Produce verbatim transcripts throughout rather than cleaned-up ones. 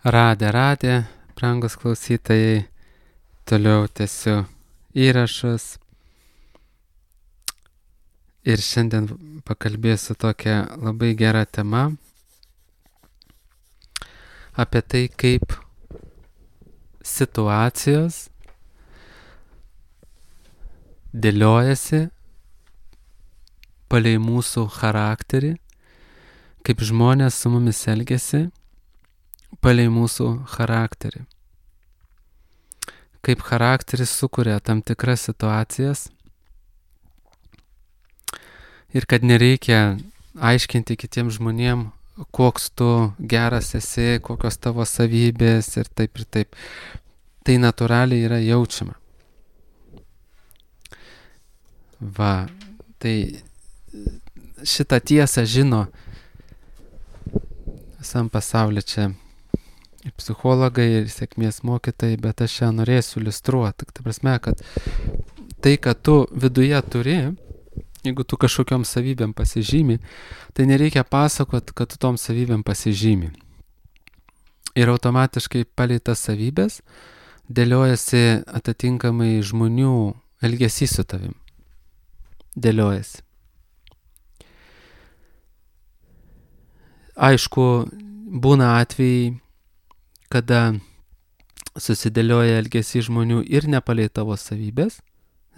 Radė, radė, brangus klausytojai, toliau tęsiu įrašus ir šiandien pakalbėsiu tokią labai gerą temą apie tai, kaip situacijos dėliojasi palei mūsų charakterį, kaip žmonės su mumis elgiasi palei mūsų charakterį. Kaip charakteris sukuria tam tikras situacijas ir kad nereikia aiškinti kitiems žmonėm, koks tu geras esi, kokios tavo savybės ir taip ir taip. Tai natūraliai yra jaučiama. Va, tai šitą tiesą žino visam pasaulyje čia ir psichologai, ir sėkmės mokytojai, bet aš čia norėsiu iliustruoti. Ta prasme, kad tai, kad tu viduje turi, jeigu tu kažkokiom savybėm pasižymi, tai nereikia pasakot, kad tu tom savybėm pasižymi. Ir automatiškai palei tas savybės dėliojasi atitinkamai žmonių elgesys su tavim. Dėliojasi. Aišku, būna atvejai, kada susidėlioja elgesys žmonių ir ne palei tavo savybės,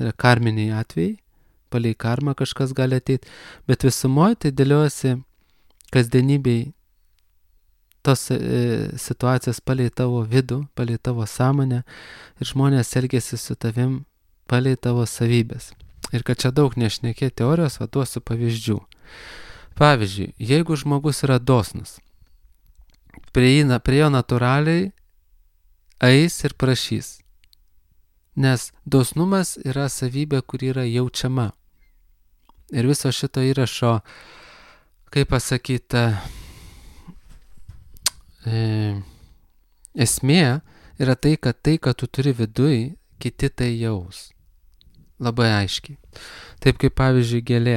yra karminiai atvejai, palei karmą kažkas gali ateiti, bet visumoje tai dėliojasi kasdienybei tos e, situacijas palei tavo vidų, palei tavo sąmonę ir žmonės elgesi su tavim palei tavo savybės. Ir kad čia daug nešnekėti teorijos, va duosiu pavyzdžių. Pavyzdžiui, jeigu žmogus yra dosnus, prie, prie jo natūraliai eis ir prašys. Nes dosnumas yra savybė, kuri yra jaučiama. Ir viso šito įrašo, kaip pasakyti, e, esmė yra tai, kad tai, kad tu turi viduj, kiti tai jaus. Labai aiškiai. Taip kaip pavyzdžiui gėlė,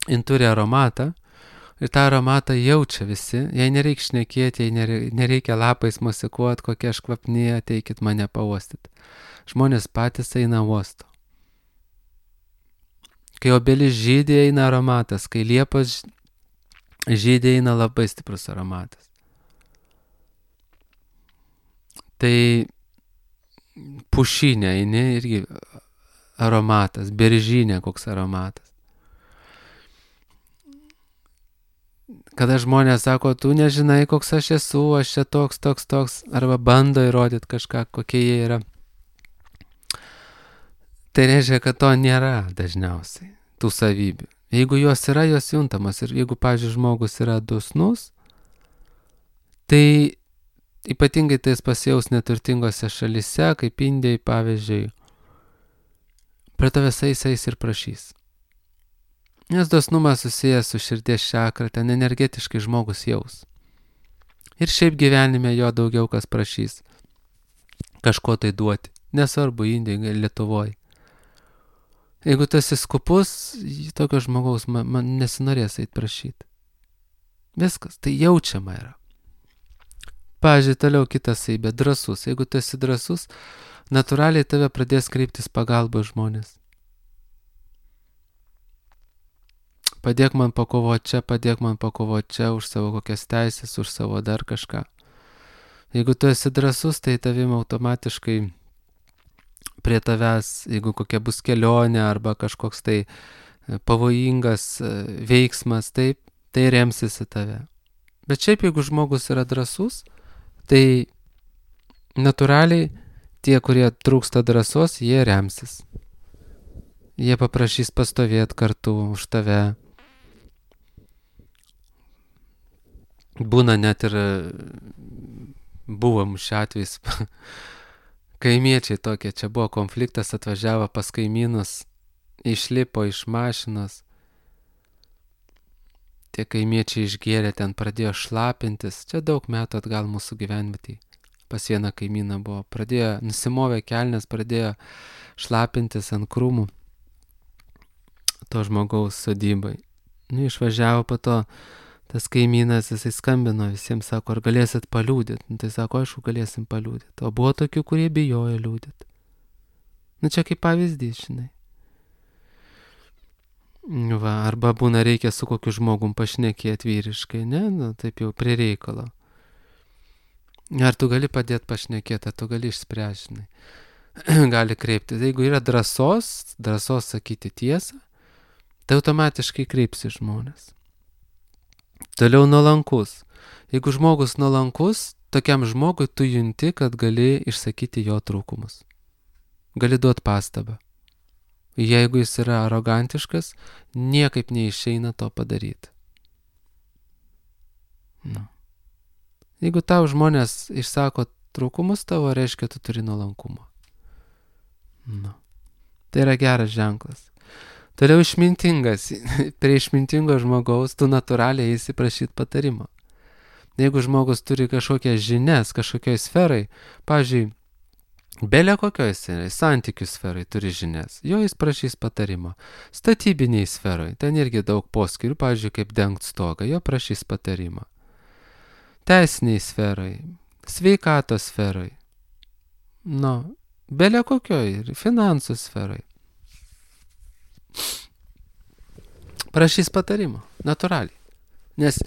jin turi aromatą, ir tą aromatą jaučia visi, jai nereikia šnekėti, jai nereikia lapais mosikuoti, kokie aš kvapni, ateikit mane pauostyti. Žmonės patys eina uosto. Kai obelis žydė, eina aromatas, kai liepos žydė, eina labai stiprus aromatas. Tai pušinė eini irgi aromatas, beržinė koks aromatas. Kada žmonės sako, tu nežinai, koks aš esu, aš čia toks, toks, toks, arba bando įrodyti kažką, kokie jie yra. Tai reiškia, kad to nėra dažniausiai, tų savybių. Jeigu jos yra, jos juntamas. Ir jeigu, pavyzdžiui, žmogus yra dosnus, tai ypatingai tai jis pasijaus neturtingose šalyse, kaip Indijai, pavyzdžiui, prie tavęs eis eis ir prašys. Nes dosnumas susijęs su širdies čakra, ten energetiškai žmogus jaus. Ir šiaip gyvenime jo daugiau kas prašys kažko tai duoti. Nesvarbu, Indijai, Lietuvoje. Jeigu tu esi skupus, tokio žmogaus man, man nesinorės eit prašyti. Viskas, tai jaučiama yra. Pavyzdžiui, toliau kitas savybė, drąsus. Jeigu tu esi drąsus, natūraliai tave pradės kreiptis pagalba žmonės. Padėk man pakovoti čia, padėk man pakovoti čia už savo kokias teisės, už savo dar kažką. Jeigu tu esi drąsus, tai tavim automatiškai prie tavęs, jeigu kokia bus kelionė arba kažkoks tai pavojingas veiksmas, taip, tai remsis į tave. Bet šiaip, jeigu žmogus yra drąsus, tai natūraliai tie, kurie trūksta drąsos, jie remsis. Jie paprašys pastovėti kartu už tave. Būna net ir buvom šią atvejais kaimiečiai tokie, čia buvo konfliktas, atvažiavo pas kaimynus, išlipo iš mašinos, tie kaimiečiai išgėrė, ten pradėjo šlapintis, čia daug metų atgal mūsų gyvenvietėj, pas vieną kaimyną buvo, pradėjo, nusimovė kelnes, pradėjo šlapintis ant krūmų to žmogaus sodybai. Nu, išvažiavo po to tas kaimynas, jisai skambino visiems, sako, ar galėsit paliūdyti. Nu, tai sako, aišku, galėsim paliūdyti. O buvo tokių, kurie bijojo liūdyti. Nu, čia kaip pavyzdys, žinai. Va, arba būna reikia su kokiu žmogum pašnekėti vyriškai, ne? Nu, taip jau prie reikalo. Ar tu gali padėti pašnekėti, ar tu gali išspręsti, žinai. Gali kreiptis. Jeigu yra drąsos, drąsos sakyti tiesą, tai automatiškai kreipsi žmonės. Toliau nuolankus. Jeigu žmogus nuolankus, tokiam žmogui tu junti, kad gali išsakyti jo trūkumus. Gali duoti pastabą. Jeigu jis yra arogantiškas, niekaip neišeina to padaryti. Nu. Jeigu tau žmonės išsako trūkumus tavo, reiškia, tu turi nuolankumo. Nu. Tai yra geras ženklas. Toliau išmintingas. Prie išmintingo žmogaus tu natūraliai eisi prašyti patarimo. Jeigu žmogus turi kažkokias žinias, kažkokioj sferai, pavyzdžiui, belė kokioj sferai, santykių sferai turi žinias, jo jis prašys patarimo. Statybiniai sferai, ten irgi daug poskirių, pavyzdžiui, kaip dengt stogą, jo prašys patarimo. Teisiniai sferai, sveikatos sferai, nu, belė kokioj, finansų sferai. Prašys patarimo, natūraliai. Nes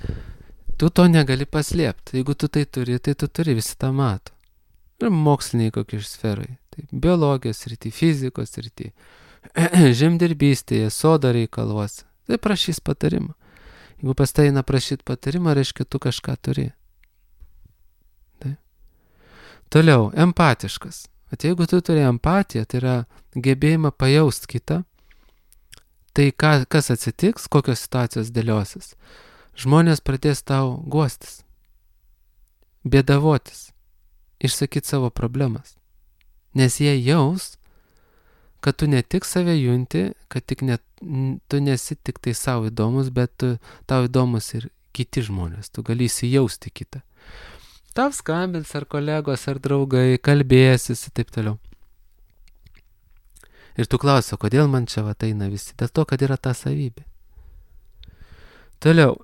tu to negali paslėpti. Jeigu tu tai turi, tai tu turi, visi tą mato. Ir moksliniai kokie sferai. Tai biologijos srity, fizikos srity, žemdirbystėje, sodo reikaluose. Tai prašys patarimo. Jeigu pas tai eina prašyti patarimo, reiškia tu kažką turi. Tai. Toliau, empatiškas. At jeigu tu turi empatiją, tai yra gebėjimą pajaust kitą, tai ką, kas atsitiks, kokios situacijos dėliosis. Žmonės pradės tau guostis, bėdavotis, išsakyti savo problemas. Nes jie jaus, kad tu ne tik save junti, kad tik ne, tu nesi tik tai savo įdomus, bet tu, tau įdomus ir kiti žmonės. Tu gali įsijausti kitą. Tau skambins ar kolegos, ar draugai, kalbėsis ir taip toliau. Ir tu klausi, kodėl man čia va eina visi? Dėl to, kad yra ta savybė. Toliau.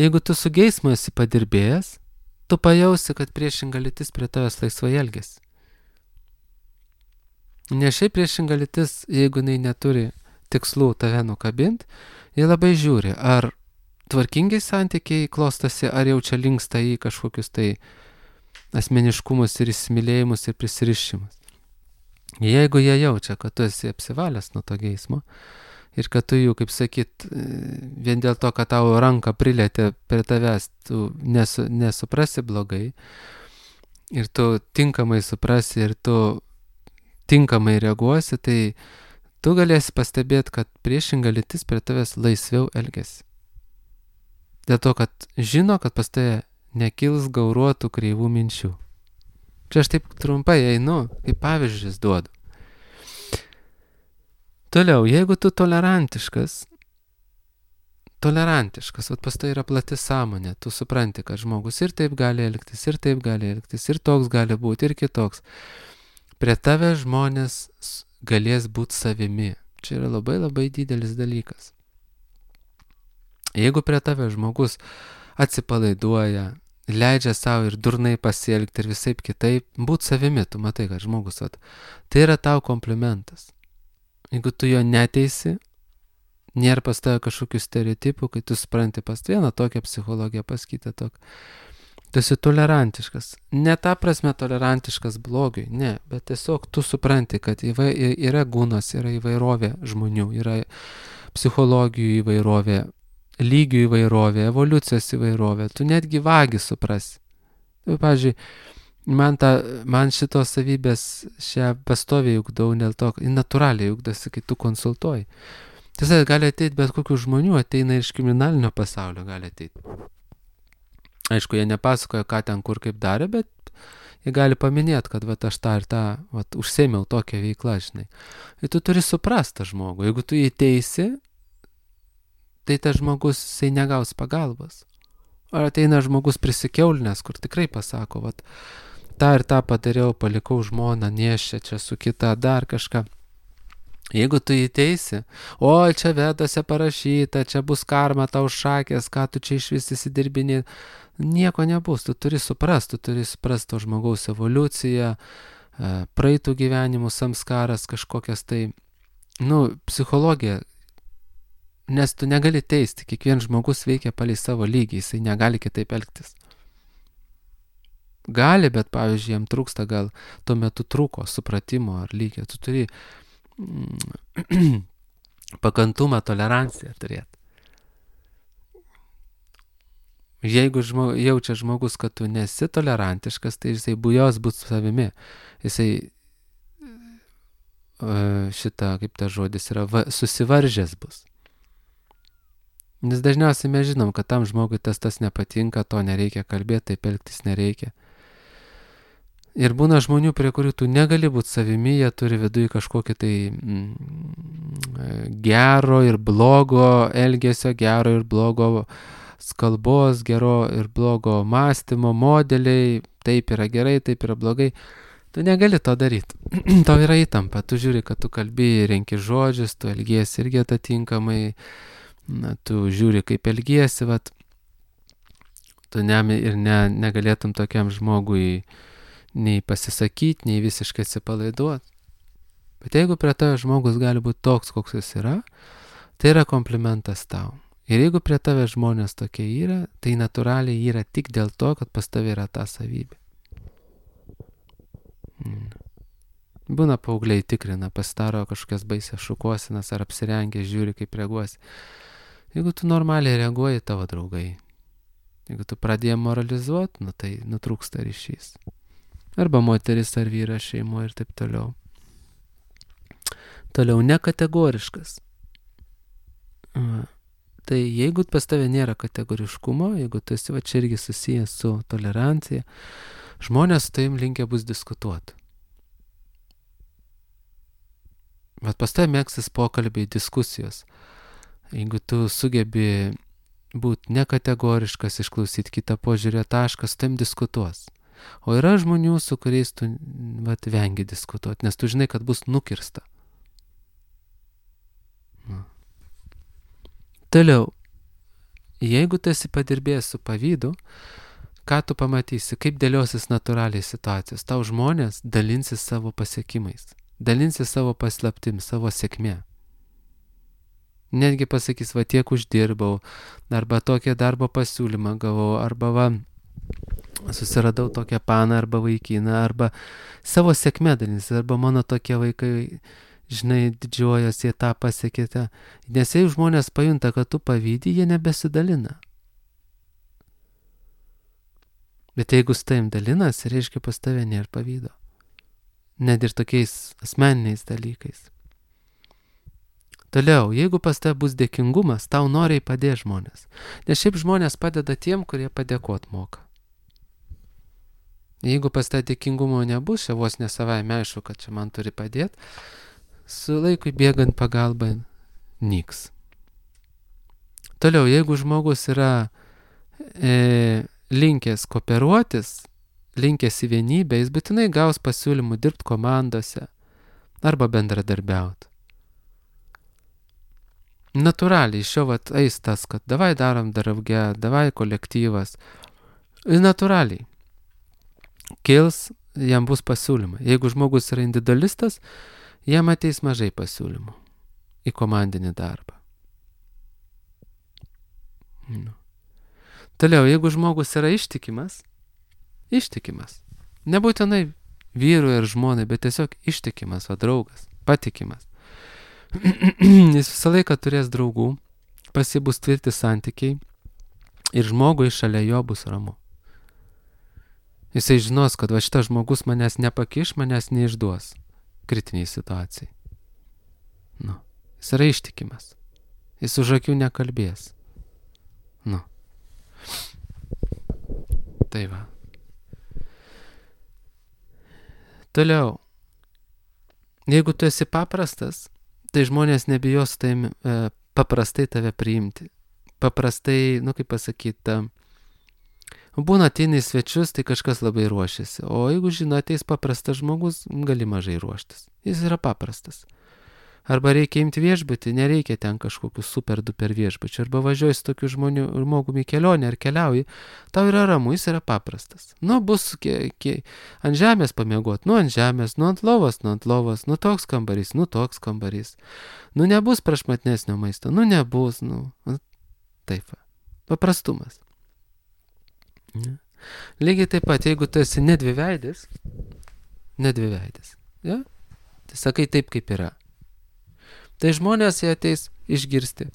Jeigu tu su geismu esi padirbėjęs, tu pajausi, kad priešinga lytis prie tavęs laisvai elgiasi. Ne šiaip priešinga lytis, jeigu jinai neturi tikslų tave nukabinti, jie labai žiūri, ar tvarkingai santykiai klostosi, ar jau čia linksta į kažkokius tai asmeniškumus ir įsimylėjimus ir prisirišimus. Jeigu jie jaučia, kad tu esi apsivalęs nuo to geismo ir kad tu jų, kaip sakyt, vien dėl to, kad tavo ranką prilėtė prie tavęs, tu nesu, nesuprasi blogai ir tu tinkamai suprasi ir tu tinkamai reaguosi, tai tu galėsi pastebėti, kad priešinga lytis prie tavęs laisviau elgiasi. Dėl to, kad žino, kad pas tave nekils gauruotų kreivų minčių. Čia aš taip trumpai einu, kaip pavyzdžius duodu. Toliau, jeigu tu tolerantiškas, tolerantiškas, vat pas tai yra plati sąmonė, tu supranti, kad žmogus ir taip gali elgtis, ir taip gali elgtis, ir toks gali būti, ir kitoks. Prie tave žmonės galės būti savimi. Čia yra labai labai didelis dalykas. Jeigu prie tave žmogus atsipalaiduoja, leidžia savo ir durnai pasielgti ir visaip kitaip, būt savimi, tu matai, kad žmogus, vat, tai yra tau komplimentas. Jeigu tu jo neteisi, nėra pas tave kažkokių stereotipų, kai tu supranti pas vieną tokią psichologiją, pas kitą tokią. Tu esi tolerantiškas. Ne ta prasme tolerantiškas blogiui, ne, bet tiesiog tu supranti, kad yra gūnos, yra įvairovė žmonių, yra psichologijų įvairovė, lygių įvairovė, evoliucijos įvairovė, tu netgi vagi suprasi. Tai, pavyzdžiui, man, ta, man šitos savybės šią pastoviai ugdau, dėl to, natūraliai ugdosi, kai tu konsultuoji. Tiesa, gali ateiti bet kokių žmonių, ateina iš kriminalinio pasaulio, gali ateiti. Aišku, jie nepasakoja, ką ten kur kaip darė, bet jie gali paminėti, kad vat, aš tą ir tą vat, užsėmiau tokią veiklą, žinai. Ir tu turi suprasti tą žmogų. Jeigu tu jį teisi, tai tas žmogus, jisai negaus pagalbos. Ar ateina žmogus prisikeulinęs, kur tikrai pasako, vat, tą ir tą padariau, palikau žmoną, nešę čia su kita, dar kažką. Jeigu tu įteisi, o čia vedose parašyta, čia bus karma tau šakės, ką tu čia iš vis įsidirbini, nieko nebus, tu turi suprasti, tu turi suprasti to žmogaus evoliuciją, praeitų gyvenimų samskaras kažkokias tai, nu, psichologija, nes tu negali teisti, kiekvienas žmogus veikia palei savo lygį, jisai negali kitaip elgtis. Gali, bet pavyzdžiui, jam trūksta gal tuo metu trūko supratimo ar lygio, tu turi pakantumą, toleranciją turėti. Jeigu žmo, jaučia žmogus, kad tu nesi tolerantiškas, tai jisai bujos būt savimi. Jisai šitą, kaip ta žodis yra, va, susivaržęs bus. Nes dažniausiai mes žinom, kad tam žmogui tas tas nepatinka, to nereikia kalbėti, taip elgtis nereikia. Ir būna žmonių, prie kurių tu negali būti savimi, jie turi viduje kažkokį tai mm, gero ir blogo elgesio, gero ir blogo kalbos, gero ir blogo mąstymo modeliai, taip yra gerai, taip yra blogai. Tu negali to daryti. Tau yra įtampa, tu žiūri, kad tu kalbi, renki žodžius, tu elgiesi irgi atitinkamai, na, tu žiūri, kaip elgiesi, vat, tu ne, ir ne, negalėtum tokiam žmogui nei pasisakyti, nei visiškai atsipalaiduoti. Bet jeigu prie tave žmogus gali būti toks, koks jis yra, tai yra komplimentas tau. Ir jeigu prie tave žmonės tokie yra, tai natūraliai yra tik dėl to, kad pas tave yra ta savybė. Būna paaugliai tikrina, pasidaro kažkokias baisias šukuosinas ar apsirengę, žiūri, kaip reaguosi. Jeigu tu normaliai reaguoji, tavo draugai. Jeigu tu pradėjai moralizuoti, nu tai nutrūksta ryšys. Arba moteris ar vyras šeimoje ir taip toliau. Toliau nekategoriškas. Tai jeigu pas tave nėra kategoriškumo, jeigu tu esi va čia irgi susijęs su tolerancija, žmonės su tavim linkę bus diskutuoti. Bet pas tave mėgsis pokalbiai, diskusijos. Jeigu tu sugebi būti nekategoriškas, išklausyti kitą požiūrio tašką, su tavim diskutuos. O yra žmonių, su kuriais tu vat, vengi diskutuoti, nes tu žinai, kad bus nukirsta. Na. Toliau, jeigu tu esi padirbėjęs su pavydu, ką tu pamatysi, kaip dėliosis natūraliai situacijos. Tau žmonės dalinsis savo pasiekimais, dalinsis savo paslaptim, savo sėkmė. Netgi pasakys, va tiek uždirbau, arba tokią darbo pasiūlymą gavau, arba va susiradau tokią paną arba vaikiną, arba savo sėkmę dalinsis, arba mano tokie vaikai, žinai, didžiuojas, jie tą pasiekėte. Nes jei žmonės pajunta, kad tu pavydi, jie nebesidalina. Bet jeigu su tavim dalinas, reiškia pas tave nėra pavydo. Net ir tokiais asmeniniais dalykais. Toliau, jeigu pas tave bus dėkingumas, tau noriai padės žmonės. Nes šiaip žmonės padeda tiem, kurie padėkot moka. Jeigu pas tave dėkingumo nebus, čia vos ne savaime aišku, kad čia man turi padėti, su laikui bėgant pagalba nyks. Toliau, jeigu žmogus yra e, linkęs kooperuotis, linkęs į vienybę, jis būtinai gaus pasiūlymų dirbti komandose arba bendradarbiauti. Natūraliai iš jo vat eis tas, kad davai darom drauge, davai kolektyvas. Ir natūraliai kils, jam bus pasiūlymai. Jeigu žmogus yra individualistas, jam ateis mažai pasiūlymų į komandinį darbą. Nu. Toliau, jeigu žmogus yra ištikimas, ištikimas. Nebūtinai vyrui ir žmonai, bet tiesiog ištikimas, o draugas, patikimas. Jis visą laiką turės draugų, pas jį bus tvirti santykiai ir žmogui šalia jo bus ramu. Jisai žinos, kad va šitas žmogus manęs nepakiš, manęs neišduos kritiniai situacijai. Nu, jis yra ištikimas. Jis už akių nekalbės. Nu. Tai va. Toliau. Jeigu tu esi paprastas, tai žmonės nebijos taim, e, paprastai tave priimti. Paprastai, nu kaip pasakyti, būna ateina į svečius, tai kažkas labai ruošiasi. O jeigu žino, ateis paprastas žmogus, gali mažai ruoštis. Jis yra paprastas. Arba reikia imti viešbutį, nereikia ten kažkokių super duper viešbučių. Arba važiuoji su tokiu žmonių žmogumi į kelionę ar keliauji, tau yra ramu, jis yra paprastas. Nu, bus kie, kie, ant žemės pamiegot, nu ant žemės, nu ant lovos, nu ant lovos, nu toks kambarys, nu toks kambarys. Nu nebus prašmatnesnio maisto, nu nebus, nu. Taip, paprastumas. Ne? Lygiai taip pat, jeigu tu esi nedviveidis, nedviveidis, ja? Tai sakai taip, kaip yra. Tai žmonės jie ateis išgirsti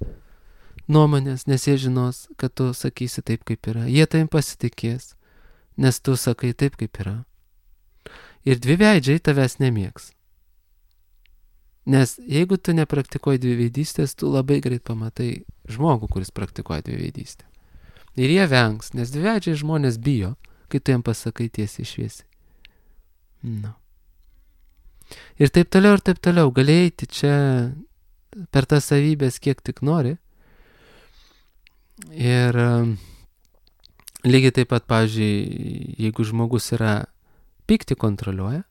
nuomonės, nes jie žinos, kad tu sakysi taip, kaip yra. Jie tavim pasitikės, nes tu sakai taip, kaip yra. Ir dviveidžiai tavęs nemėgs. Nes jeigu tu nepraktikuoji dviveidystės, tu labai greit pamatai žmogų, kuris praktikuoja dviveidystę. Ir jie vengs, nes dviveidžiai žmonės bijo, kai tu jam pasakai tiesiai šviesiai. Nu. Ir taip toliau, ir taip toliau. Gali eiti čia per tas savybės kiek tik nori. Ir um, lygiai taip pat, pavyzdžiui, jeigu žmogus yra pyktį kontroliuoja,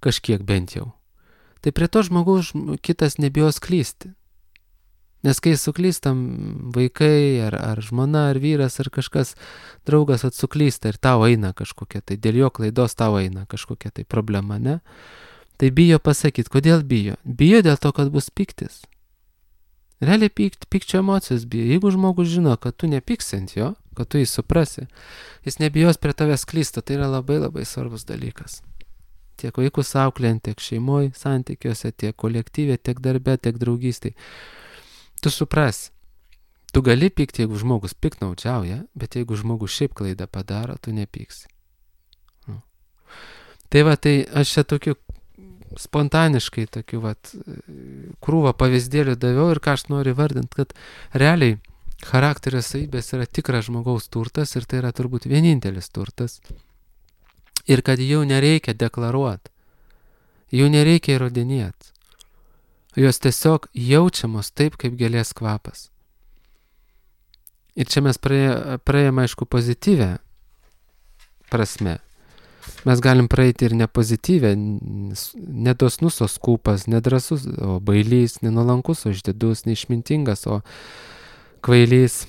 kažkiek bent jau, tai prie to žmogus kitas nebijos klysti. Nes kai suklystam vaikai, ar, ar žmona, ar vyras, ar kažkas, draugas atsuklysta ir tau eina kažkokia, tai dėl jo klaidos tau eina kažkokia tai problema, ne? Tai bijo pasakyti, kodėl bijo? Bijo dėl to, kad bus pyktis. Realiai pykt, pykčio emocijos bijo. Jeigu žmogus žino, kad tu nepyksi ant jo, kad tu jį suprasi, jis nebijos prie tavęs klysta, tai yra labai labai svarbus dalykas. Tiek vaikus auklėjant, tiek šeimoje, santykiuose, tiek kolektyvė, tiek darbe, tiek draugystėje. Tu suprasi, tu gali pykti, jeigu žmogus piktnaudžiauja, bet jeigu žmogus šiaip klaidą padaro, tu nepyksi. Nu. Tai va, tai aš čia tokiu spontaniškai tokiu vat krūvą pavyzdėlių daviau ir ką aš noriu vardinti, kad realiai charakterio savybės yra tikras žmogaus turtas ir tai yra turbūt vienintelis turtas. Ir kad jų nereikia deklaruoti, jų nereikia įrodinėti. Jos tiesiog jaučiamos taip, kaip gėlės kvapas. Ir čia mes praėjome, aišku, pozityvę prasme. Mes galim praeiti ir nepozityvę, nedosnus, o skūpas, nedrasus, o bailys, nenuolankus, o išdidus, neišmintingas, o kvailys.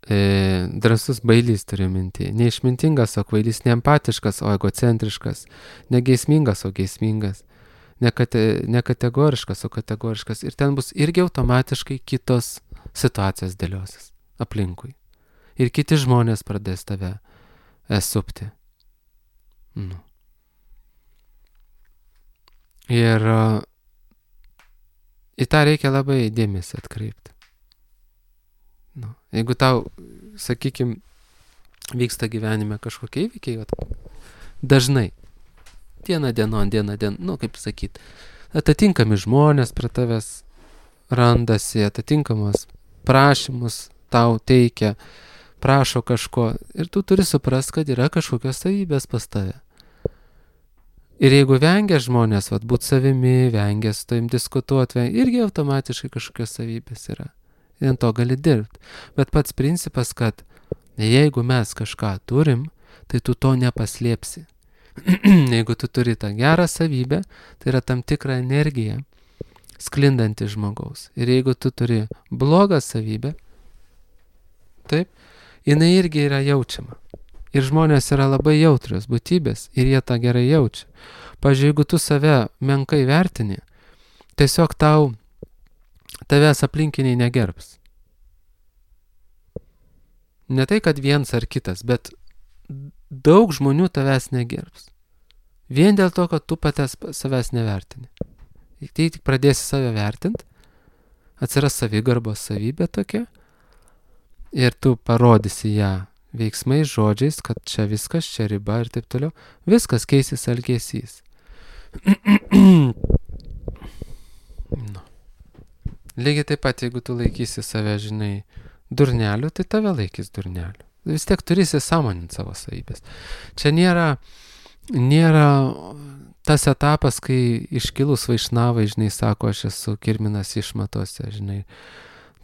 E, drasus bailys turiu minti. Neišmintingas, o kvailys, neempatiškas, o egocentriškas, negeismingas, o geismingas, nekate, nekategoriškas, o kategoriškas. Ir ten bus irgi automatiškai kitos situacijos dėliosis aplinkui. Ir kiti žmonės pradės tave supti. Nu. Ir uh, į tą reikia labai dėmesį atkreipti. Nu. Jeigu tau, sakykime, vyksta gyvenime kažkokie įvykiai, dažnai, diena dienon, diena dienon, nu kaip sakyt, atitinkami žmonės prie tavęs randasi, atitinkamos prašymus tau teikia, prašo kažko ir tu turi suprast, kad yra kažkokios savybės pas tave. Ir jeigu vengia žmonės, vat, būt savimi, vengia su tavim diskutuoti, irgi automatiškai kažkokios savybės yra. Ir ant to gali dirbti. Bet pats principas, kad jeigu mes kažką turim, tai tu to nepaslėpsi. Jeigu tu turi tą gerą savybę, tai yra tam tikra energija sklindanti žmogaus. Ir jeigu tu turi blogą savybę, taip, jinai irgi yra jaučiama. Ir žmonės yra labai jautrios būtybės ir jie tą gerai jaučia. Pavyzdžiui, jeigu tu save menkai vertini, tiesiog tau tavęs aplinkiniai negerbs. Ne tai, kad viens ar kitas, bet daug žmonių tavęs negerbs. Vien dėl to, kad tu patęs savęs nevertini. Tai tik pradėsi save vertinti, atsiras savigarbos savybė tokia, ir tu parodysi ją veiksmais, žodžiais, kad čia viskas, čia riba ir taip toliau. Viskas keisis elgesys. No. Lygiai taip pat, jeigu tu laikysi save, žinai, durneliu, tai tave laikys durneliu. Vis tiek turėsi sąmoninti savo savybės. Čia nėra, nėra tas etapas, kai iškilus vaišnavai, žinai, sako, aš esu kirminas išmatose, žinai.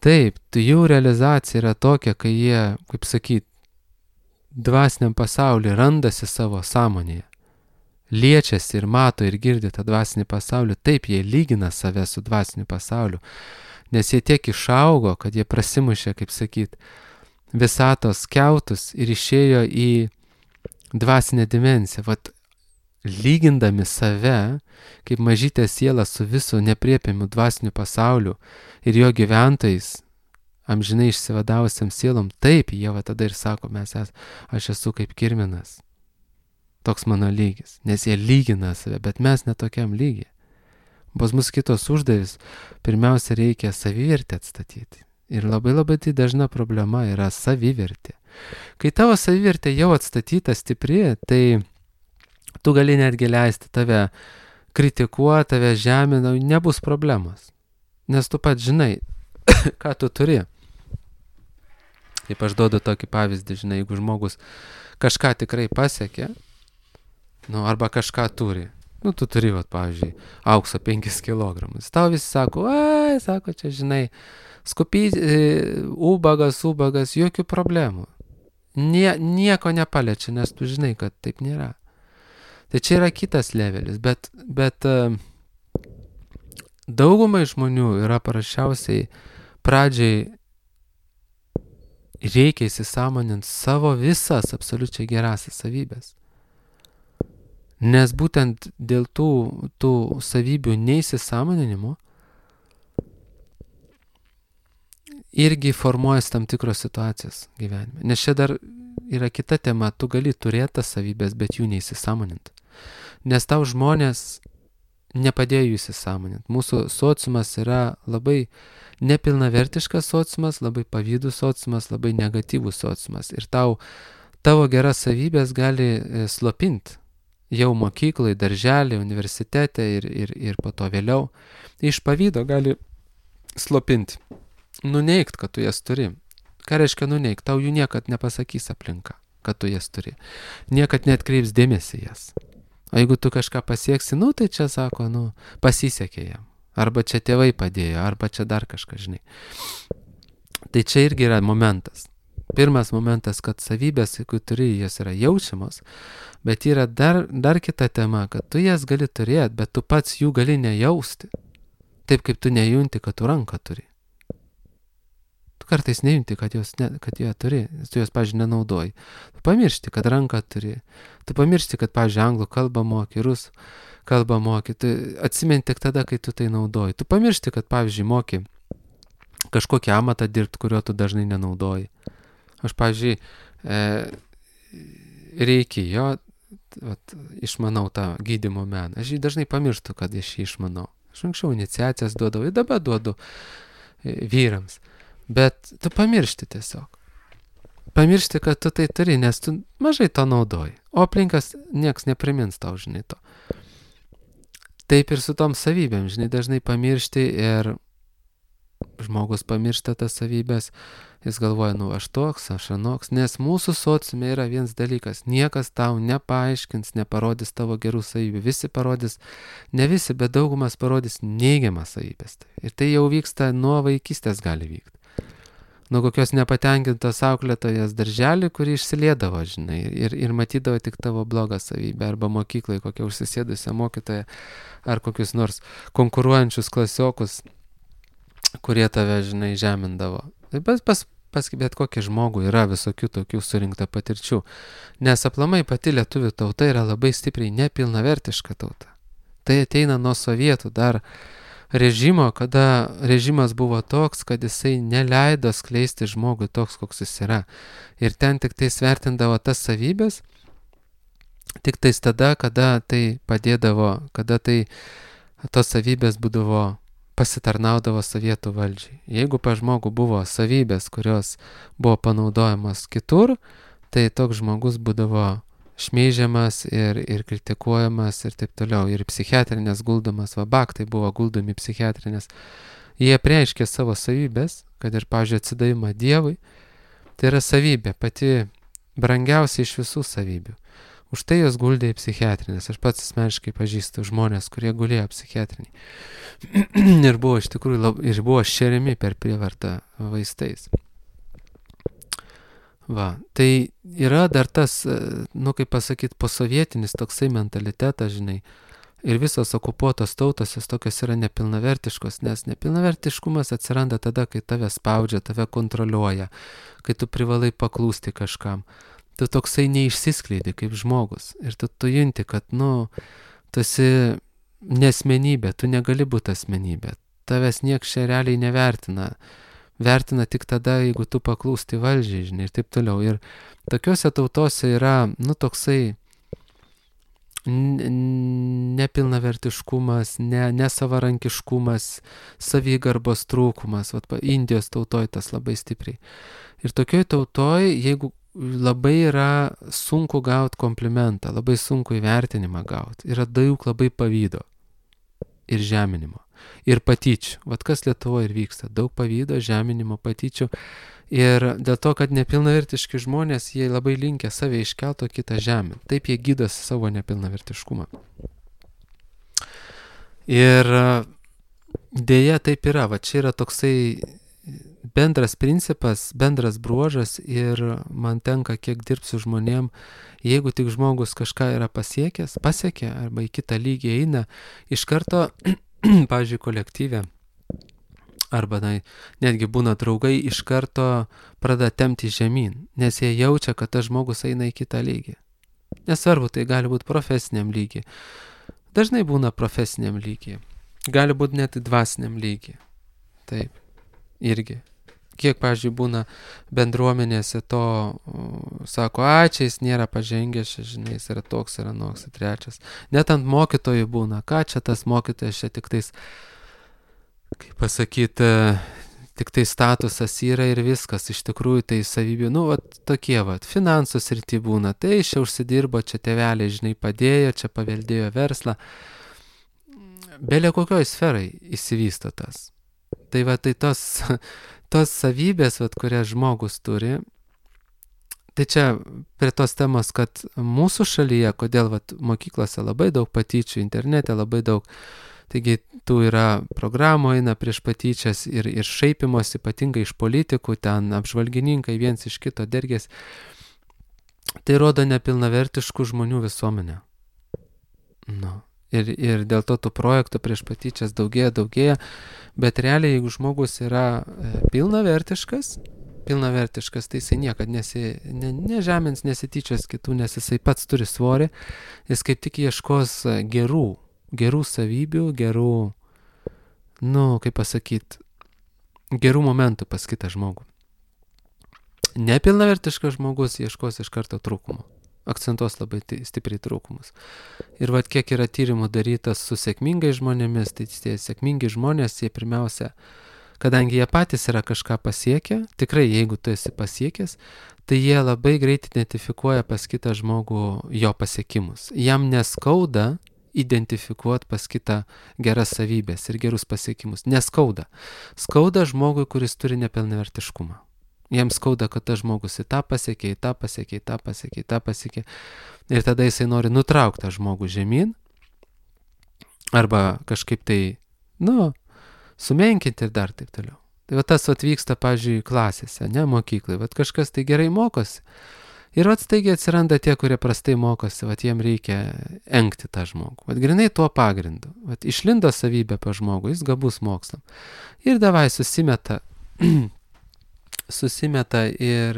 Taip, jų realizacija yra tokia, kai jie, kaip sakyt, dvasiniam pasaulyje randasi savo sąmonėje. liečiasi ir mato ir girdi tą dvasinį pasaulį, taip jie lygina save su dvasiniu pasauliu, nes jie tiek išaugo, kad jie prasimušė, kaip sakyt, visatos kiautus ir išėjo į dvasinę dimensiją. Vat lygindami save, kaip mažytė siela su visu nepriepiamu dvasiniu pasauliu ir jo gyventojais, amžinai išsivadavusiam sielom, taip, jie va tada ir sako, mes es, aš esu kaip kirminas. Toks mano lygis, nes jie lygina save, bet mes netokiam lygiai. Pas mus kitos uždavis, pirmiausia reikia savivertę atstatyti. Ir labai labai tai dažna problema yra savivertė. Kai tavo savivertė jau atstatyta stipri, tai tu gali netgi leisti tave kritikuoti, tave žemina, nebus problemos. Nes tu pat žinai, ką tu turi. Kaip aš duodu tokį pavyzdį, žinai, jeigu žmogus kažką tikrai pasiekė, nu, arba kažką turi, nu, tu turi, vat, pavyzdžiui, aukso penkis kilogramus. Tau visi sako, ai, sako, čia, žinai, skupys, ubagas, ubagas, jokių problemų. Nie, nieko nepaliečia, nes tu žinai, kad taip nėra. Tai čia yra kitas levelis, bet, bet daugumai žmonių yra parašiausiai pradžiai reikia įsisąmoninti savo visas absoliučiai gerasias savybės. Nes būtent dėl tų, tų savybių neįsisąmoninimo irgi formuojas tam tikros situacijos gyvenime. Nes čia dar yra kita tema, tu gali turėti tas savybės, bet jų neįsisąmoninti. Nes tau žmonės nepadėjo jų įsisąmoninti. Mūsų sociumas yra labai nepilnavertiškas sociumas, labai pavydus sociumas, labai negatyvus sociumas. Ir tau, tavo geras savybės gali slopinti jau mokyklai, darželį, universitete ir, ir, ir po to vėliau. Iš pavydo gali slopinti. Nuneigt, kad tu jas turi. Ką reiškia nuneigt? Tau jų niekad nepasakys aplinka, kad tu jas turi. Niekad neatkreips dėmesį jas. O jeigu tu kažką pasieksi, nu tai čia sako, nu, pasisekė jam. Arba čia tėvai padėjo, arba čia dar kažką, žinai. Tai čia irgi yra momentas. Pirmas momentas, kad savybės, jeigu turi, jas yra jaučiamos, bet yra dar, dar kita tema, kad tu jas gali turėti, bet tu pats jų gali nejausti. Taip kaip tu nejunti, kad tu ranką turi. Tu kartais nejunti, kad, jos ne, kad jie turi, tu jos, pavyzdžiui, nenaudoji. Tu pamiršti, kad ranką turi. Tu pamiršti, kad, pavyzdžiui, anglų kalbą moki, rusų kalbą moki. Tu atsimeni tik tada, kai tu tai naudoji. Tu pamiršti, kad, pavyzdžiui, moki kažkokį amatą dirbti, kurio tu dažnai nenaudoji. Aš, pavyzdžiui, e, reikia jo, vat, išmanau tą gydymo meną. Aš jį dažnai pamirštu, kad aš jį išmanau. Aš anksčiau iniciacijas duodavau, ir dabar duodu e, vyrams. Bet tu pamiršti tiesiog. Pamiršti, kad tu tai turi, nes tu mažai to naudoji. O aplinkas nieks neprimins tau, žinai, to. Taip ir su tom savybėm, žinai, dažnai pamiršti ir žmogus pamiršta tas savybės, jis galvoja, nu aš toks, aš anoks, nes mūsų sociume yra vienas dalykas, niekas tau nepaaiškins, neparodys tavo gerų savybių, visi parodys, ne visi, bet daugumas parodys neigiamas savybės. Ir tai jau vyksta nuo vaikystės gali vykti. Nuo kokios nepatenkintos auklėtojas darželį, kuri išsiliedavo, žinai, ir, ir matydavo tik tavo blogą savybę, arba mokyklai kokią užsisėdusią mokytoją, ar kokius nors konkuruojančius klasiokus, kurie tave, žinai, žemindavo. Tai pas, pas, pas bet kokį žmogų yra visokių tokių surinkta patirčių, nes aplamai pati lietuvių tauta yra labai stipriai nepilnavertiška tauta. Tai ateina nuo sovietų dar režimo, kada režimas buvo toks, kad jisai neleido skleisti žmogui toks, koks jis yra. Ir ten tik tai svertindavo tas savybės, tik tais tada, kada tai padėdavo, kada tai tos savybės būdavo pasitarnaudavo sovietų valdžiai. Jeigu pa žmogų buvo savybės, kurios buvo panaudojamos kitur, tai toks žmogus būdavo šmeižiamas ir, ir kritikuojamas ir taip toliau. Ir psichiatrinės guldomas, va baktai buvo guldomi psichiatrinės. Jie prieiškė savo savybės, kad ir, pavyzdžiui, atsidavimą Dievui, tai yra savybė, pati brangiausia iš visų savybių. Už tai jos guldė į psichiatrinės. Aš pats asmeniškai pažįstu žmonės, kurie gulėjo psichiatriniai. ir buvo iš tikrųjų lab, ir buvo šeriami per prievartą vaistais. Va, tai yra dar tas, nu kaip pasakyti, posovietinis toksai mentalitetas, žinai, ir visos okupuotos tautos jos tokios yra nepilnavertiškos, nes nepilnavertiškumas atsiranda tada, kai tave spaudžia, tave kontroliuoja, kai tu privalai paklūsti kažkam. Tu toksai neišsiskleidi kaip žmogus ir tu, tu junti, kad, nu, tu esi nesmenybė, tu negali būti asmenybė, tavęs nieks čia realiai nevertina. Vertina tik tada, jeigu tu paklūsti valdžiai, žinai, ir taip toliau. Ir tokiuose tautose yra, nu, toksai nepilnavertiškumas, ne, nesavarankiškumas, savigarbos trūkumas, vat, Indijos tautoj tas labai stipriai. Ir tokioj tautoj, jeigu labai yra sunku gauti komplimentą, labai sunku įvertinimą gauti, yra daug labai pavydo ir žeminimo. Ir patyčių. Vat kas Lietuvoje ir vyksta. Daug pavydo, žeminimo, patyčių. Ir dėl to, kad nepilnavertiški žmonės, jie labai linkę save iškelto kitą žemę. Taip jie gydosi savo nepilnavertiškumą. Ir dėja taip yra. Va čia yra toksai bendras principas, bendras bruožas ir man tenka, kiek dirbsiu žmonėm, jeigu tik žmogus kažką yra pasiekęs, pasiekė arba į kitą lygį eina, iš karto pavyzdžiui, kolektyve, arba na, netgi būna draugai, iš karto pradeda tempti žemyn, nes jie jaučia, kad tas žmogus eina į kitą lygį. Nesvarbu, tai gali būti profesiniam lygiai. Dažnai būna profesiniam lygiai. Gali būti net dvasiniam lygiai. Taip, irgi. Kiek, pavyzdžiui, būna bendruomenėse to, sako, a, čia jis nėra pažengęs, žinai, jis yra toks, yra noks, trečias. Net ant mokytojų būna, ką čia tas mokytojas, čia tik tais, kaip pasakyti, tik tai statusas yra ir viskas, iš tikrųjų tai savybių, nu, vat, tokie, vat, finansų srity būna, tai čia užsidirbo, čia tėveliai, žinai, padėjo, čia paveldėjo verslą. Belė kokioj sferai įsivysto tas. Tai va, tai tos... tos savybės, vat, kurias žmogus turi, tai čia prie tos temos, kad mūsų šalyje, kodėl vat, mokyklose labai daug patyčių, internete labai daug, taigi tų yra programų eina prieš patyčias ir, ir šaipimos, ypatingai iš politikų, ten apžvalgininkai viens iš kito dergės, tai rodo nepilnavertiškų žmonių visuomenę. Nu. Ir, ir dėl to tų projektų prieš patyčias daugėja, daugėja, bet realiai, jeigu žmogus yra pilnavertiškas, pilnavertiškas, tai jisai niekad nesi, ne, nežemins, nesityčios kitų, nes jisai pats turi svorį, jis kaip tik ieškos gerų, gerų savybių, gerų, nu, kaip pasakyti, gerų momentų pas kitą žmogų. Nepilnavertiškas žmogus ieškos iš karto trūkumo. Akcentuos labai stipriai trūkumus. Ir vat kiek yra tyrimų darytas su sėkmingais žmonėmis, tai tie sėkmingi žmonės, jie pirmiausia, kadangi jie patys yra kažką pasiekę, tikrai jeigu tu esi pasiekęs, tai jie labai greit identifikuoja pas kitą žmogų jo pasiekimus. Jam neskauda identifikuoti pas kitą geras savybės ir gerus pasiekimus. Neskauda. Skauda žmogui, kuris turi nepilnavertiškumą. Jiems skauda, kad tas žmogus į tą pasiekė, į tą pasiekė, į tą pasiekė, į tą pasiekė. Ir tada jisai nori nutraukti tą žmogų žemyn. Arba kažkaip tai, nu, sumenkinti ir dar taip toliau. Tai va tas atvyksta, pavyzdžiui, klasėse, ne mokyklai. Va kažkas tai gerai mokosi. Ir va staigiai atsiranda tie, kurie prastai mokosi. Va jiem reikia engti tą žmogų. Va grinai tuo pagrindu. Va išlindo savybė pa žmogų, jis gabus mokslam. Ir davai susimeta... susimeta ir,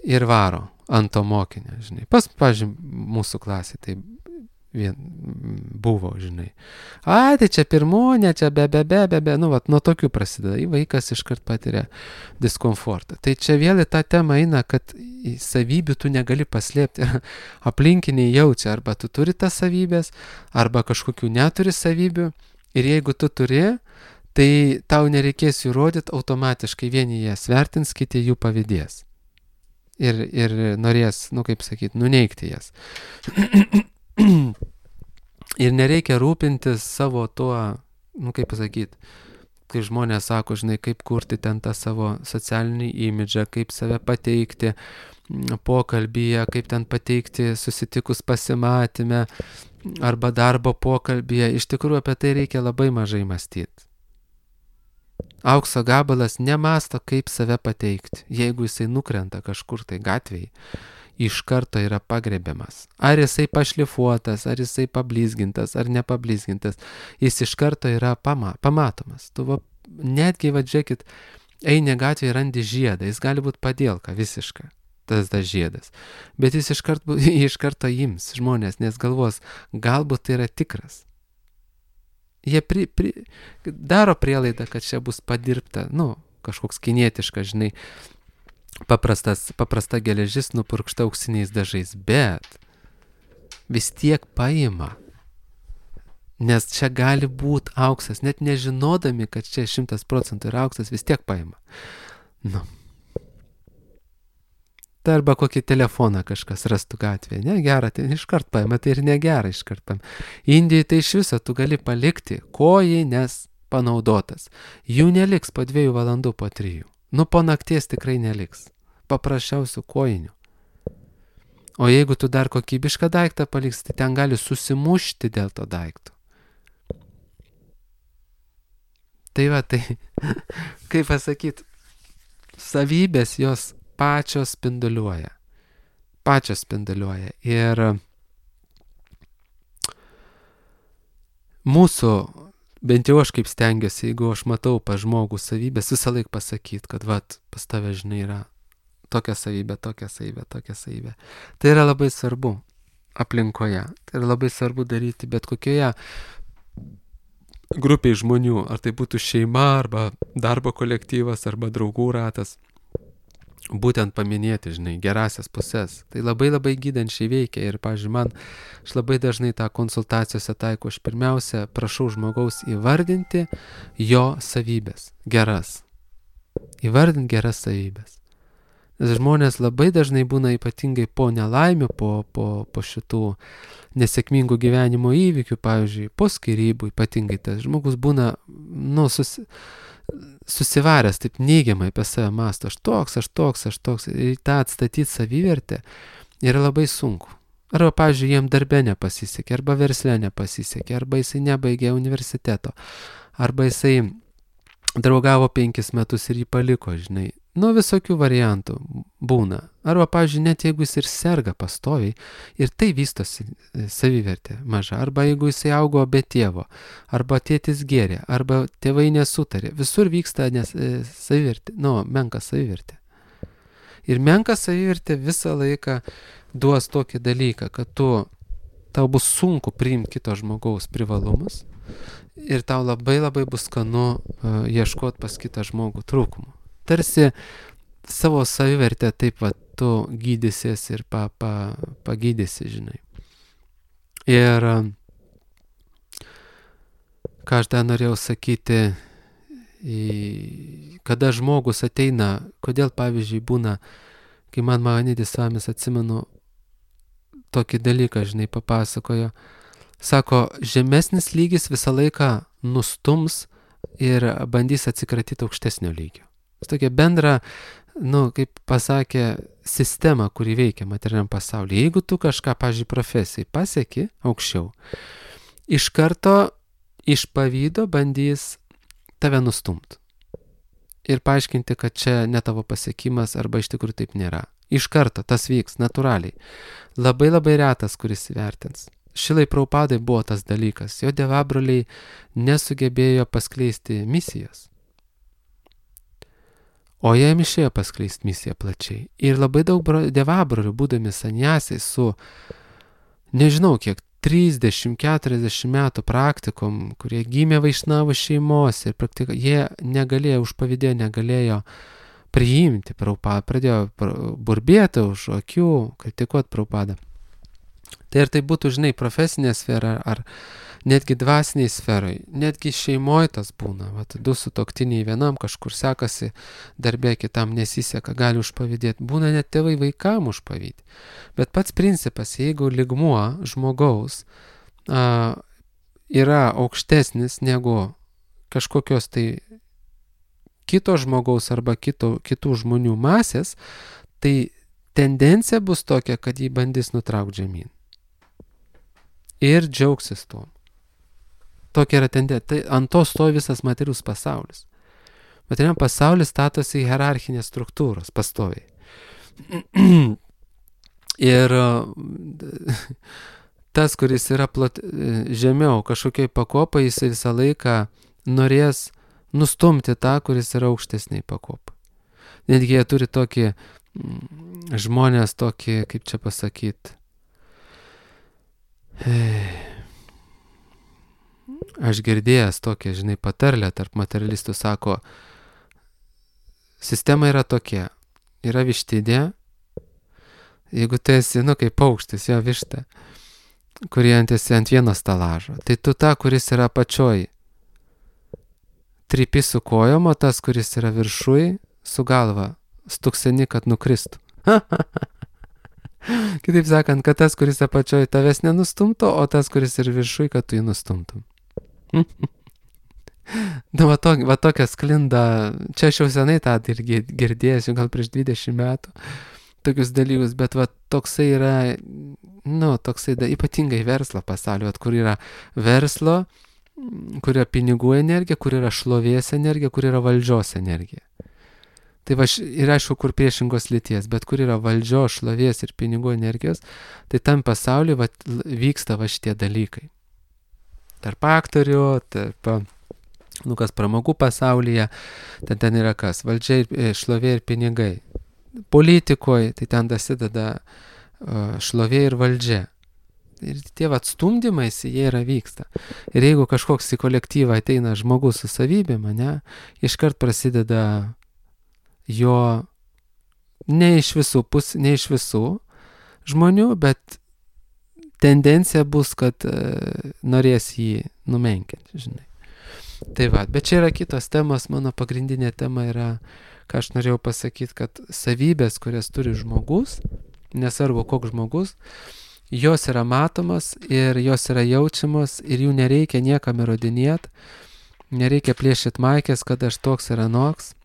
ir varo ant to mokinio, žinai. Pas, pavyzdžiui, mūsų klasė tai vien buvo, žinai. A, tai čia pirmonė, čia be, be, be, be, be, nu, vat, nuo tokių prasideda. Į vaikas iškart patiria diskomfortą. Tai čia vėl į tą temą eina, kad savybių tu negali paslėpti. Aplinkiniai jaučia, arba tu turi tas savybės, arba kažkokių neturi savybių. Ir jeigu tu turi, tai tau nereikės jų rodyti, automatiškai vieni jas vertins, kiti jų pavydės. Ir, ir norės, nu kaip sakyti, nuneigti jas. Ir nereikia rūpintis savo tuo, nu kaip pasakyti, kai žmonės sako, žinai, kaip kurti ten tą savo socialinį imidžą, kaip save pateikti pokalbyje, kaip ten pateikti susitikus pasimatyme arba darbo pokalbyje. Iš tikrųjų apie tai reikia labai mažai mąstyti. Aukso gabalas nemasto, kaip save pateikti. Jeigu jisai nukrenta kažkur tai gatvėje, iš karto yra pagrebiamas. Ar jisai pašlifuotas, ar jisai pablizgintas, ar nepablizgintas, jis iš karto yra pama, pamatomas. Tu va, netgi, va, žiūrėkit, eini gatvėje, randi žiedą, jis gali būti padėlka visiška, tas tas žiedas. Bet jis iš karto, iš karto ims žmonės, nes galvos, galbūt tai yra tikras. Jie pri, pri, daro prielaidą, kad čia bus padirbta, nu, kažkoks kinietiškas, žinai, paprastas, paprasta geležis nupurkšta auksiniais dažais, bet vis tiek paima. Nes čia gali būti auksas, net nežinodami, kad čia šimtas procentų yra auksas, vis tiek paima. Nu. Tai arba kokį telefoną kažkas rastų gatvėje, ne, gerą, tai iškart paima, tai ir negerą iškart paima. Indijai tai iš viso tu gali palikti kojines panaudotas. Jų neliks po dviejų valandų, po trijų. Nu, po nakties tikrai neliks. Paprasčiausių kojinių. O jeigu tu dar kokybišką daiktą paliks, tai ten gali susimušti dėl to daikto. Tai va, tai, kaip pasakyti, savybės jos pačios spinduliuoja. Pačios spinduliuoja. Ir mūsų, bent jau aš kaip stengiuosi, jeigu aš matau pa žmogų savybės, visą laiką pasakyti, kad vat, pas tave, žinai, yra tokia savybė, tokia savybė, tokia savybė. Tai yra labai svarbu aplinkoje. Tai yra labai svarbu daryti bet kokioje grupiai žmonių, ar tai būtų šeima, arba darbo kolektyvas, arba draugų ratas. Būtent paminėti, žinai, gerasias pusės. Tai labai labai gydančiai veikia ir, pavyzdžiui, man, aš labai dažnai tą konsultacijose taiko, aš pirmiausia prašau žmogaus įvardinti jo savybės, geras. Įvardinti geras savybės. Nes žmonės labai dažnai būna ypatingai po nelaimių, po, po, po šitų nesėkmingų gyvenimo įvykių, pavyzdžiui, po skyrybų ypatingai tas žmogus būna, nu, susi... susivaręs taip neigiamai apie save mąsto, aš toks, aš toks, aš toks, ir tą atstatyti savivertę yra labai sunku. Arba, pavyzdžiui, jiem darbe nepasisekė, arba versle nepasisekė, arba jisai nebaigė universiteto, arba jisai draugavo penkis metus ir jį paliko, žinai. Nu, visokių variantų būna. Arba, pavyzdžiui, net jeigu jis ir serga pastoviai ir tai vystosi savivertė maža. Arba jeigu jisai augo be tėvo, arba tėtis gėrė, arba tėvai nesutarė. Visur vyksta nes, savivertė, nu, menka savivertė. Ir menka savivertė visą laiką duos tokį dalyką, kad tu, tau bus sunku priimti kito žmogaus privalumus ir tau labai labai bus skanu uh, ieškoti pas kitą žmogų trūkumų. Tarsi savo savivertę taip va tu gydysies ir pa, pa, pagydysi, žinai. Ir ką aš dar norėjau sakyti, kada žmogus ateina, kodėl pavyzdžiui būna, kai man Mahanidis Svamis, atsimenu, tokį dalyką, žinai, papasakojo, sako, žemesnis lygis visą laiką nustums ir bandys atsikratyti aukštesnio lygio. Tokia bendra, nu, kaip pasakė, sistema, kuri veikia materialiam pasaulyje. Jeigu tu kažką, pavyzdžiui, profesijai pasieki aukščiau, iš karto iš pavydo bandys tave nustumti. Ir paaiškinti, kad čia ne tavo pasiekimas arba iš tikrųjų taip nėra. Iš karto tas vyks natūraliai. Labai labai retas, kuris įvertins. Šilai Prabhupadai buvo tas dalykas. Jo dievabroliai nesugebėjo paskleisti misijos. O jam išėjo paskleisti misiją plačiai. Ir labai daug dievabrolių, būdami sanjasiai su, nežinau kiek, trisdešimt keturiasdešimt metų praktikom, kurie gimė Vaišnavų šeimos ir praktika, jie negalėjo, užpavydėjo, negalėjo priimti Prabhupadą, pradėjo burbėti už akių, kritikuoti Prabhupadą. Tai ir tai būtų, žinai, profesinė sfera ar netgi dvasiniai sferai, netgi šeimoje tas būna, vat, du sutuoktiniai vienam kažkur sekasi, darbė kitam nesiseka, gali užpavydėti, būna net tėvai vaikam užpavydėti. Bet pats principas, jeigu lygmuo žmogaus a, yra aukštesnis negu kažkokios tai kito žmogaus arba kito, kitų žmonių masės, tai tendencija bus tokia, kad jį bandys nutraukti žemyn. Ir džiaugsis tuom. Tokia yra tendencija. Tai ant to stovi visas materialus pasaulis. Materialiam pasaulis statosi hierarchinės struktūros pastoviai. Ir tas, kuris yra plot, žemiau kažkokiai pakopai, jis visą laiką norės nustumti tą, kuris yra aukštesniai pakopai. Netgi jie turi tokį, žmonės tokį, kaip čia pasakyti, aš girdėjęs tokią, žinai, patarlę tarp materialistų, sako, sistema yra tokia, yra vištidė, jeigu tu esi, nu, kaip paukštis, jo višta, kurie ant esi ant vieno stalažo, tai tu tą, kuris yra pačioj, trypi su kojom, o tas, kuris yra viršui, su galva, stukseni, kad nukristų. Kitaip sakant, kad tas, kuris apačioj tavęs nenustumto, o tas, kuris ir viršui, kad tu jį nustumtum. Nu, va, to, va tokia sklinda, čia aš jau senai tą irgi girdėjęs, jau gal prieš dvidešimt metų, tokius dalykus, bet va toksai yra, nu, toksai da, ypatingai verslo pasaulio, kur yra verslo, kur yra pinigų energija, kur yra šlovės energija, kur yra valdžios energija. Tai va, ir aišku, kur priešingos lyties, bet kur yra valdžios, šlovės ir pinigų energijos, tai tam pasauliu va, vyksta va šitie dalykai. Tarp aktorių, tarp, nu kas pramogų pasaulyje, ten, ten yra kas, valdžia, šlovė ir pinigai. Politikoje, tai ten dasideda šlovė ir valdžia. Ir tie atstumdymais, jie yra vyksta. Ir jeigu kažkoks į kolektyvą ateina žmogus su savybėm, ne, iškart prasideda jo ne iš visų pus, ne iš visų žmonių, bet tendencija bus, kad e, norės jį numenkinti, žinai. Tai va, bet čia yra kitos temos, mano pagrindinė tema yra, ką aš norėjau pasakyti, kad savybės, kurias turi žmogus, nesvarbu koks žmogus, jos yra matomos ir jos yra jaučiamos ir jų nereikia niekam įrodinėti, nereikia plėšyti maikės, kad aš toks ir anoks,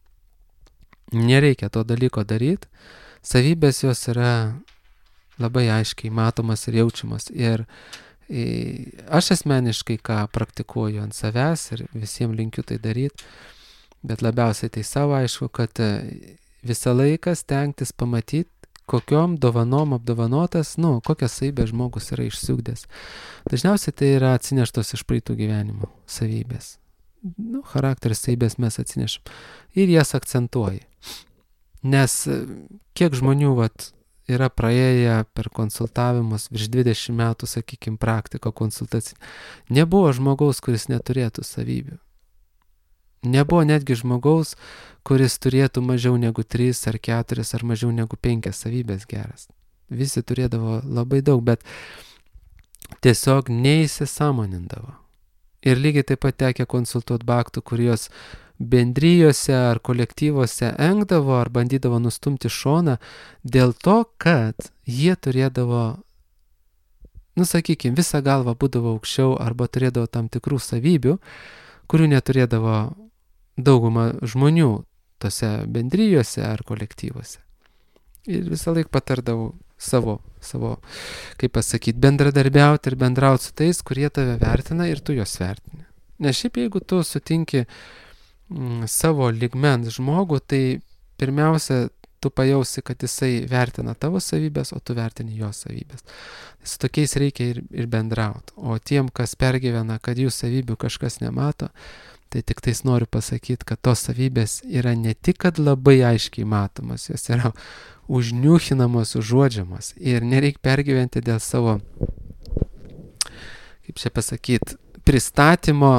nereikia to dalyko daryti, savybės jos yra labai aiškiai matomas ir jaučiamas ir aš asmeniškai ką praktikuoju ant savęs ir visiems linkiu tai daryti, bet labiausiai tai savo aišku, kad visą laiką stengtis pamatyti, kokiom dovanom apdovanotas, nu, kokias savybės žmogus yra išsiugdęs. Dažniausiai tai yra atsineštos iš praeitų gyvenimų savybės. Nu, charakteris savybės mes atsinešam. Ir jas akcentuoji. Nes kiek žmonių vat, yra praėję per konsultavimus virš dvidešimt metų, sakykime, praktiką konsultacinį. Nebuvo žmogaus, kuris neturėtų savybių. Nebuvo netgi žmogaus, kuris turėtų mažiau negu tris ar keturis ar mažiau negu penkias savybės geras. Visi turėdavo labai daug, bet tiesiog neįsisąmonindavo. Ir lygiai taip pat tekia konsultuoti baktų, kurios bendrijose ar kolektyvose engdavo ar bandydavo nustumti šoną dėl to, kad jie turėdavo, nu sakykime, visą galvą būdavo aukščiau arba turėdavo tam tikrų savybių, kurių neturėdavo dauguma žmonių tose bendrijose ar kolektyvuose. Ir visą laiką patardavau savo, savo, kaip pasakyti, bendradarbiauti ir bendrauti su tais, kurie tave vertina ir tu juos vertini. Nes šiaip jeigu tu sutinki mm, savo lygmens žmogų, tai pirmiausia, tu pajausi, kad jisai vertina tavo savybės, o tu vertini jo savybės. Su tokiais reikia ir, ir bendrauti. O tiem, kas pergyvena, kad jų savybių kažkas nemato, tai tik tais noriu pasakyti, kad tos savybės yra ne tik, kad labai aiškiai matomas, jos yra užniuchinamos, užuodžiamos. Ir nereikia pergyventi dėl savo, kaip čia pasakyti, pristatymo,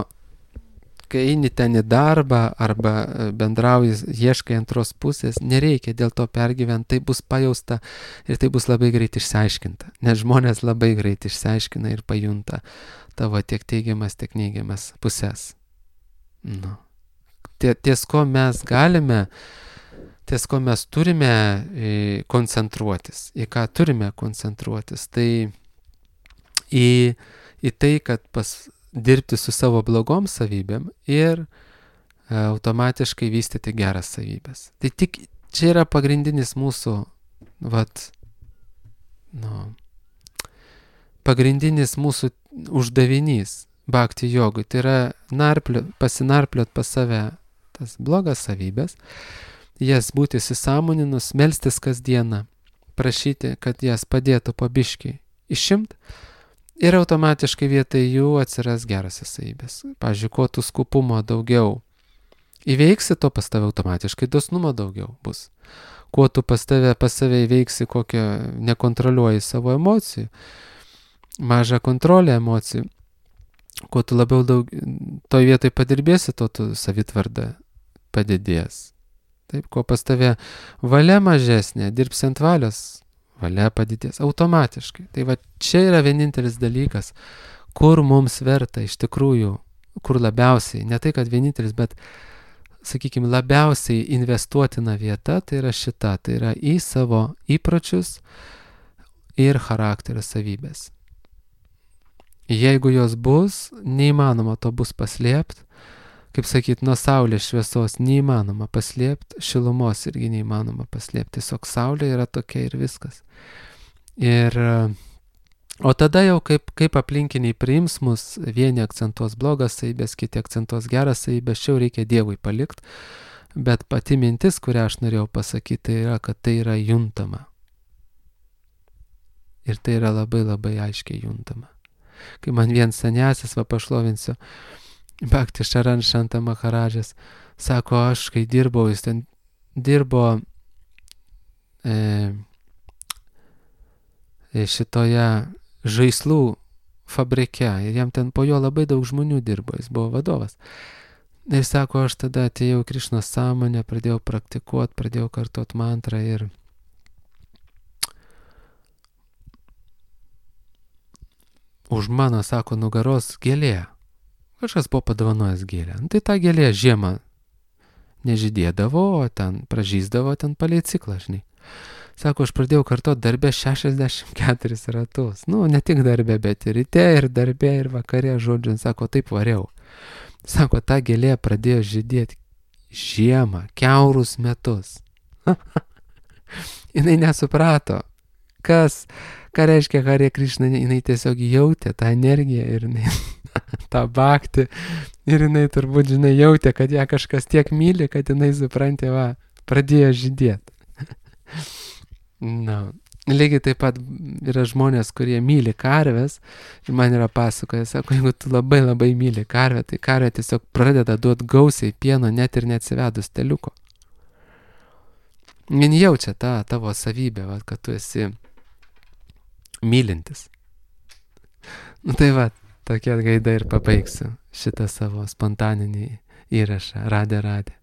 kai eini ten į darbą arba bendrauji, ieškai antros pusės, nereikia dėl to pergyventi, tai bus pajausta ir tai bus labai greit išsiaiškinta. Nes žmonės labai greit išsiaiškina ir pajunta tavo tiek teigiamas, tiek neigiamas pusės. Nu. Ties ko mes galime, ties ko mes turime koncentruotis, į ką turime koncentruotis, tai į, į tai, kad pas, dirbti su savo blogom savybėm ir automatiškai vystyti geras savybės. Tai tik čia yra pagrindinis mūsų, vat, nu, pagrindinis mūsų uždavinys bhakti jogui. Tai yra narpliot, pasinarpliot pas save tas blogas savybės, jas būti įsisąmoninus, melstis kasdieną, prašyti, kad jas padėtų po biškį išimt ir automatiškai vietoj jų atsiras gerasios savybės. Pavyzdžiui, kuo tu skupumo daugiau įveiksi, to pas tave automatiškai dosnumo daugiau bus. Kuo tu pas tave pas save įveiksi, kokią nekontroliuoji savo emocijų, mažą kontrolę emocijų, kuo tu labiau daug, toj vietoj padirbėsi, to tu savitvarda padidės. Taip, kuo pas tave valia mažesnė, dirbsi ant valios, valia padidės automatiškai. Tai va čia yra vienintelis dalykas, kur mums verta iš tikrųjų, kur labiausiai, ne tai kad vienintelis, bet, sakykime, labiausiai investuotina vieta, tai yra šita, tai yra į savo įpročius ir charakterio savybės. Jeigu jos bus, neįmanoma to bus paslėpti, kaip sakyt, nuo saulės šviesos neįmanoma paslėpti, šilumos irgi neįmanoma paslėpti, tiesiog saulė yra tokia ir viskas. Ir, o tada jau kaip, kaip aplinkiniai priims mus, vieni akcentuos blogas savybės, kiti akcentuos geras savybės, čia jau reikia Dievui palikti, bet pati mintis, kurią aš norėjau pasakyti, tai yra, kad tai yra juntama. Ir tai yra labai labai aiškiai juntama. Kai man vien senesis, va pašlovinsiu, Bhakti Šaran Šanta Maharadžas, sako, aš kai dirbau, jis ten dirbo e, šitoje žaislų fabrike ir jam ten po jo labai daug žmonių dirbo, jis buvo vadovas. Ir sako, aš tada atėjau Krišnos sąmonę, pradėjau praktikuoti, pradėjau kartuoti mantrą ir už mano, sako, nugaros gėlė. Kažkas buvo padovanojęs gėlę. Nu, tai ta gėlė žiemą nežydėdavo, o ten pražysdavo ten palei ciklą, žinai. Sako, aš pradėjau kartuoti darbę šešiasdešimt keturis ratus. Nu, ne tik darbę, bet ir ryte, ir darbę, ir vakare, žodžiu. Sako, taip variau. Sako, ta gėlė pradėjo žydėti žiemą, kiaurus metus. Jinai nesuprato, kas, ką reiškia Hare Krishna, jinai tiesiog jautė tą energiją ir jinai tą bhakti ir jinai turbūt, žinai, jautė, kad ją kažkas tiek myli, kad jinai, suprantė, va, pradėjo žydėti. Na, lygiai taip pat yra žmonės, kurie myli karves ir man yra pasakoja, sako, jeigu tu labai labai myli karvę, tai karvė tiesiog pradeda duoti gausiai pieno, net ir neatsivedus teliuko. Jin jaučia tą tavo savybę, va, kad tu esi mylintis. Nu tai va, tokia gaida ir pabaigsiu šitą savo spontaninį įrašą. Radė, radė.